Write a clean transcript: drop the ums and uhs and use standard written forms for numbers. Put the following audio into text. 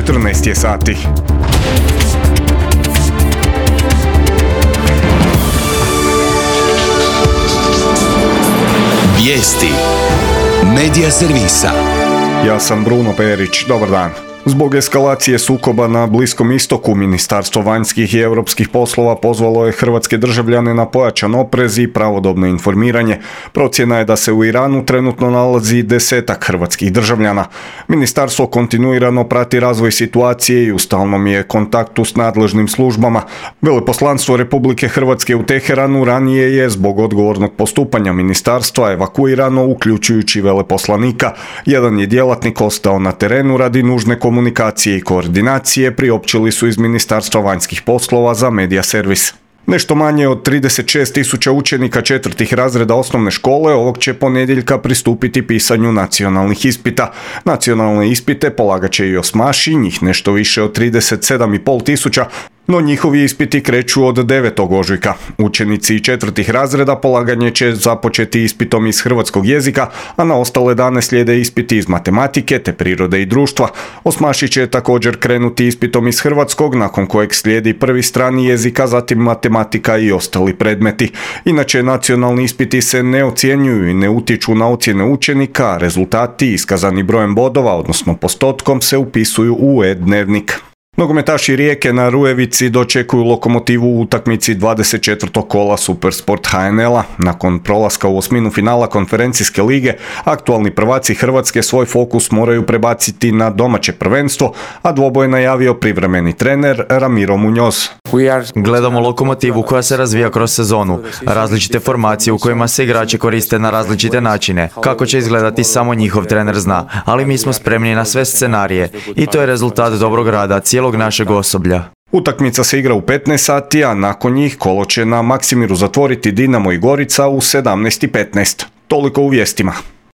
14 je sati. Vijesti Medija servisa. Ja sam Bruno Perić, dobar dan. Zbog eskalacije sukoba na Bliskom istoku, Ministarstvo vanjskih i europskih poslova pozvalo je hrvatske državljane na pojačan oprez i pravodobno informiranje. Procjena je da se u Iranu trenutno nalazi 10 hrvatskih državljana. Ministarstvo kontinuirano prati razvoj situacije i u stalnom je kontaktu s nadležnim službama. Veleposlanstvo Republike Hrvatske u Teheranu ranije je zbog odgovornog postupanja ministarstva evakuirano, uključujući veleposlanika. Jedan je djelatnik ostao na terenu radi nužne komunikacije i koordinacije, priopćili su iz Ministarstva vanjskih poslova za Medija servis. Nešto manje od 36.000 učenika 4. razreda osnovne škole ovog će ponedjeljka pristupiti pisanju nacionalnih ispita. Nacionalne ispite polagat će i osmaši, njih nešto više od 37.500, no njihovi ispiti kreću od 9. ožujka. Učenici 4. razreda polaganje će započeti ispitom iz hrvatskog jezika, a na ostale dane slijede ispiti iz matematike te prirode i društva. Osmaši će također krenuti ispitom iz hrvatskog, nakon kojeg slijedi prvi strani jezika, zatim matematika i ostali predmeti. Inače, nacionalni ispiti se ne ocjenjuju i ne utječu na ocjene učenika, a rezultati iskazani brojem bodova, odnosno postotkom, se upisuju u e-dnevnik. Nogometaši Rijeke na Rujevici dočekuju Lokomotivu u utakmici 24. kola Supersport HNL-a. Nakon prolaska u osminu finala konferencijske lige, aktualni prvaci Hrvatske svoj fokus moraju prebaciti na domaće prvenstvo, a dvoboj je najavio privremeni trener Ramiro Muñoz. Gledamo Lokomotivu koja se razvija kroz sezonu, različite formacije u kojima se igrači koriste na različite načine. Kako će izgledati samo njihov trener zna, ali mi smo spremni na sve scenarije i to je rezultat dobrog rada cijelog našeg osoblja. Utakmica se igra u 15 sati, a nakon njih kolo će na Maksimiru zatvoriti Dinamo i Gorica u 17:15. Toliko u vijestima.